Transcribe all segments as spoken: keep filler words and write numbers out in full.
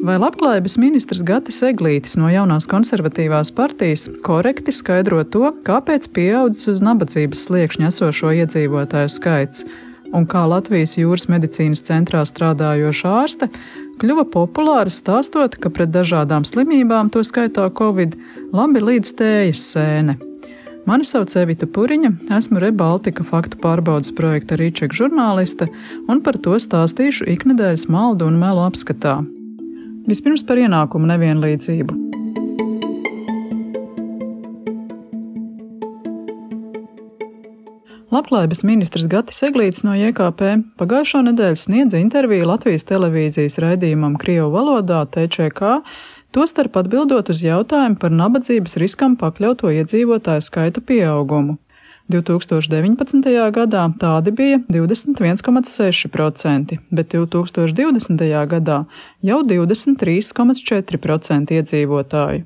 Vai labklājības ministrs Gatis Eglītis no jaunās konservatīvās partijas korekti skaidro to, kāpēc pieaudzis uz nabadzības sliekšņa esošo iedzīvotāju skaits, un kā Latvijas jūras medicīnas centrā strādājoša ārste kļuva populāra stāstot, ka pret dažādām slimībām, to skaitā Covid, labi līdz tējas sēne. Mani sauc Evita Puriņa, esmu Rebaltika faktu pārbaudes projekta Rīčeka žurnāliste, un par to stāstīšu iknedēļas maldu un melu apskatā. Vispirms par ienākumu nevienlīdzību. Labklājības ministrs Gatis Eglītis no J K P pagājušo nedēļu sniedza interviju Latvijas televīzijas raidījumam Krievu valodā T Č K, tostarp atbildot uz jautājumu par nabadzības riskam pakļauto iedzīvotāju skaita pieaugumu. divi tūkstoši deviņpadsmitajā gadā tādi bija divdesmit viens komats seši procenti, bet divi tūkstoši divdesmitajā gadā jau divdesmit trīs komats četri procenti iedzīvotāju.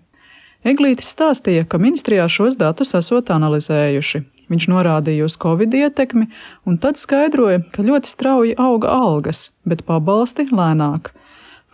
Eglītis stāstīja, ka ministrijā šos datus esot analizējuši. Viņš norādīja uz Covid ietekmi un tad skaidroja, ka ļoti strauji auga algas, bet pabalsti lēnāk.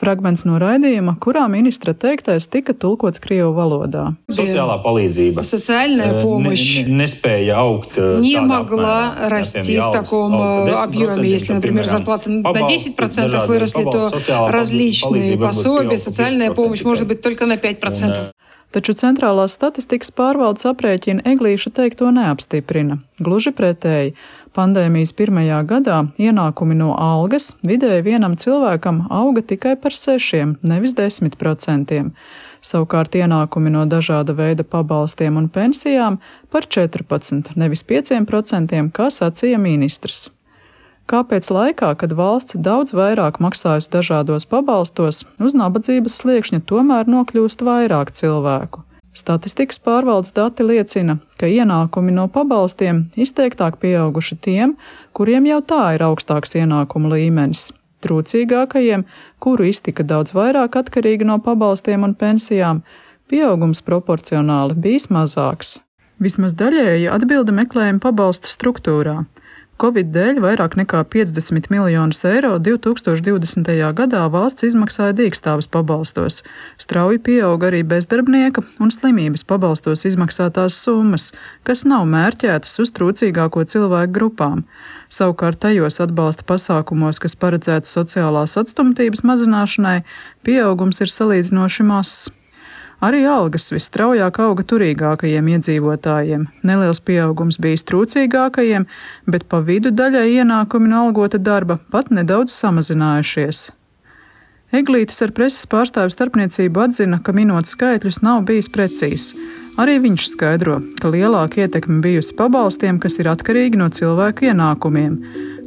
Fragments no raidījuma, kurā ministra teiktais tika tulkots Krievu valodā. Sociālā palīdzība ne, nespēja augt не могла расти в таком объеме. Если, например, зарплата на десять процентов выросли, то различные пособия, социальная помощь может быть только на пять процентов. Taču centrālās statistikas pārvaldes aprēķina Eglīša teikto neapstiprina. Gluži pretēji, pandēmijas pirmajā gadā ienākumi no algas vidēji vienam cilvēkam auga tikai par sešiem, nevis desmit procentiem. Savukārt ienākumi no dažāda veida pabalstiem un pensijām par četrpadsmit, nevis pieciem procentiem, kā sacīja ministrs. Kāpēc laikā, kad valsts daudz vairāk maksājusi dažādos pabalstos, uz nabadzības sliekšņa tomēr nokļūst vairāk cilvēku? Statistikas pārvaldes dati liecina, ka ienākumi no pabalstiem izteiktāk pieauguši tiem, kuriem jau tā ir augstāks ienākumu līmenis. Trūcīgākajiem, kuru iztika daudz vairāk atkarīgi no pabalstiem un pensijām, pieaugums proporcionāli bijis mazāks. Vismaz daļēji atbilde meklējuma pabalstu struktūrā. Covid dēļ vairāk nekā piecdesmit miljonus eiro divi tūkstoši divdesmitajā gadā valsts izmaksāja dīkstāves pabalstos. Strauji pieauga arī bezdarbnieka un slimības pabalstos izmaksātās summas, kas nav mērķētas uz trūcīgāko cilvēku grupām. Savukārt tajos atbalsta pasākumos, kas paredzēts sociālās atstumtības mazināšanai, pieaugums ir salīdzinoši mazs. Arī algas visstraujāk auga turīgākajiem iedzīvotājiem. Neliels pieaugums bijis trūcīgākajiem, bet pa vidu daļai ienākumi no algota darba pat nedaudz samazinājušies. Eglītis ar preses pārstāvju starpniecību atzina, ka minot skaitļus nav bijis precīzs. Arī viņš skaidro, ka lielāka ietekme bijusi pabalstiem, kas ir atkarīgi no cilvēku ienākumiem.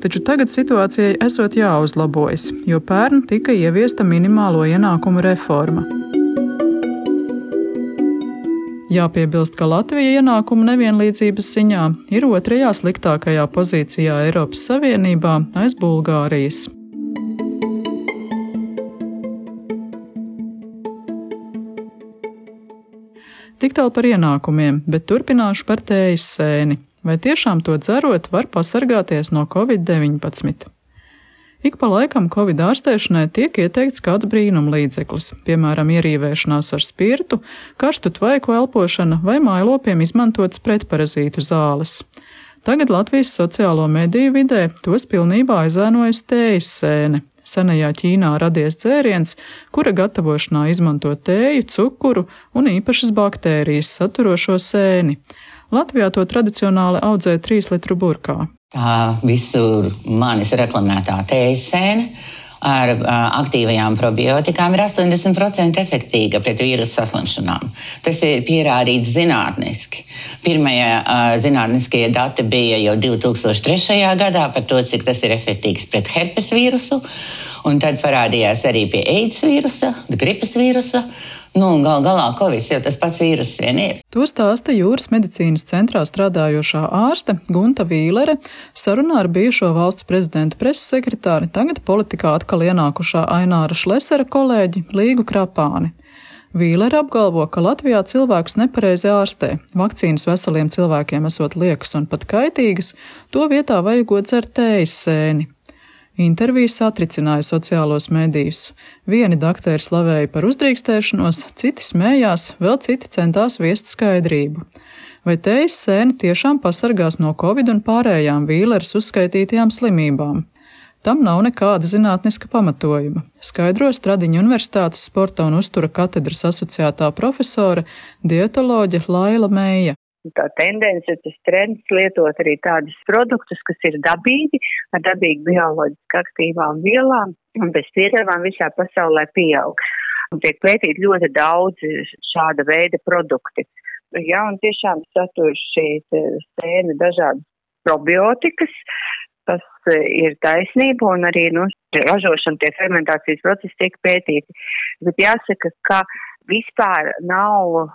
Taču tagad situācijai esot jāuzlabojas, jo pērn tika ieviesta minimālo ienākumu reforma. Jāpiebilst, ka Latvija ienākumu nevienlīdzības ziņā ir otrajā sliktākajā pozīcijā Eiropas Savienībā aiz Bulgārijas. Tik tālu par ienākumiem, bet turpināšu par tējas sēni. Vai tiešām to dzerot var pasargāties no Covid deviņpadsmit? Ik pa laikam Covid ārstēšanai tiek ieteikts kāds brīnumlīdzeklis, piemēram, ierīvēšanās ar spirtu, karstu tvaiku elpošana vai mājlopiem izmantotas pretparazītu zāles. Tagad Latvijas sociālo mediju vidē tos pilnībā aizēnojusi tējas sēne. Senajā Ķīnā radies dzēriens, kura gatavošanā izmanto tēju, cukuru un īpašas baktērijas saturošo sēni. Latvijā to tradicionāli audzē trīs litru burkā. Tā visur manis reklamētā tējas sēne ar uh, aktīvajām probiotikām ir astoņdesmit procenti efektīga pret vīrusu saslimšanām. Tas ir pierādīts zinātniski. Pirmie uh, zinātniskie dati bija jau divi tūkstoši trešajā gadā par to, cik tas ir efektīgs pret herpes vīrusu, un tad parādījās arī pie AIDS vīrusa, gripas vīrusa. Nu, gal galā Covid jau tas pats vīrus vien ir. To stāsta jūras medicīnas centrā strādājošā ārste Gunta Vīlere sarunā ar bijušo valsts prezidenta preses sekretāri, tagad politikā atkal ienākušā Aināra Šlesera kolēģi Līgu Krapāni. Vīlere apgalvo, ka Latvijā cilvēkus nepareizi ārstē. Vakcīnas veseliem cilvēkiem esot liekas un pat kaitīgas, to vietā vajagot dzert tējas sēni. Intervijas satricināja sociālos medijus. Vieni dakteri slavēja par uzdrīkstēšanos, citi smējās, vēl citi centās viest skaidrību. Vai tējas sēne tiešām pasargās no covid un pārējām Vīleres uzskaitītajām slimībām? Tam nav nekāda zinātniska pamatojuma, skaidro Stradiņu Universitātes sporta un uztura katedras asociētā profesore, dietoloģe Laila Meija. Tā tendence, tas trends lietot arī tādus produktus, kas ir dabīgi, ar dabīgi bioloģiski aktīvām vielām un bez piedevām visā pasaulē pieaug. Un tiek pētīt ļoti daudz šāda veida produkti. Jā, un tiešām satur šī sēne dažādas probiotikas, tas ir taisnība, un arī, nu, ražošana, tie fermentācijas procesi tiek pētīti. Bet jāsaka, ka vispār nav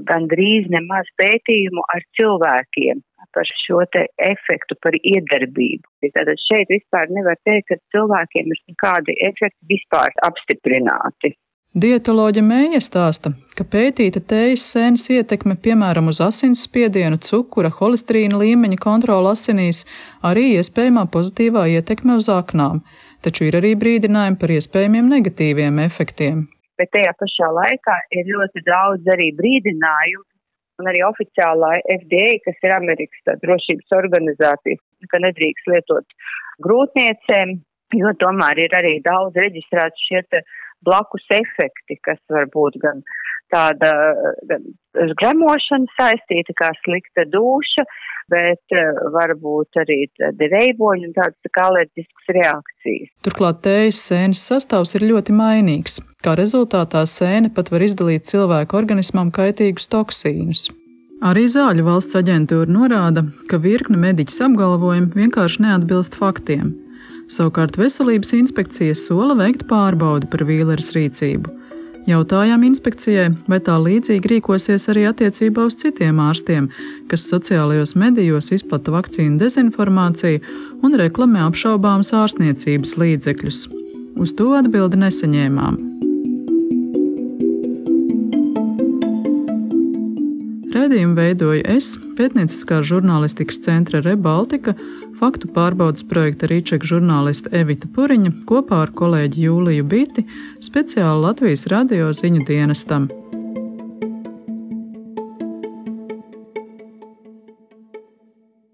gandrīz nemaz pētījumu ar cilvēkiem par šo te efektu, par iedarbību. Tātad šeit vispār nevar teikt, ka cilvēkiem ir kādi efekti vispār apstiprināti. Dietoloģe Meija stāsta, ka pētīta tējas sēnes ietekme, piemēram, uz asinsspiedienu, cukura, holesterīna līmeņa kontroli asinīs, arī iespējamā pozitīvā ietekme uz aknām, taču ir arī brīdinājumi par iespējamiem negatīviem efektiem. Bet tajā pašā laikā ir ļoti daudz arī brīdinājumu, un arī oficiālā F D A, kas ir Amerikas drošības organizācija, ka nedrīkst lietot grūtniecēm, jo tomēr ir arī daudz reģistrēts šie te blakus efekti, kas var būt gan tāda gan gremošana saistīta, kā slikta dūša, bet var būt arī tādi reiboņi un tādas tā kā alerģiskas reakcijas. Turklāt tējas sēnes sastāvs ir ļoti mainīgs. Kā rezultātā sēne pat var izdalīt cilvēku organismam kaitīgus toksīnus. Arī Zāļu valsts aģentūra norāda, ka virkne mediķis apgalvojumi vienkārši neatbilst faktiem. Savukārt Veselības inspekcija sola veikt pārbaudi par Vīleres rīcību. Jautājām inspekcijai, vai tā līdzīgi rīkosies arī attiecībā uz citiem ārstiem, kas sociālajos medijos izplata vakcīnu dezinformāciju un reklamē apšaubāmas ārstniecības līdzekļus. Uz to atbildi nesaņēmām. Raidījumu veidoju es, pētnieciskās žurnālistikas centra Rebaltika, faktu pārbaudas projekta Rīčeka žurnāliste Evita Puriņa kopā ar kolēģi Jūliju Biti, speciāli Latvijas radio ziņu dienestam.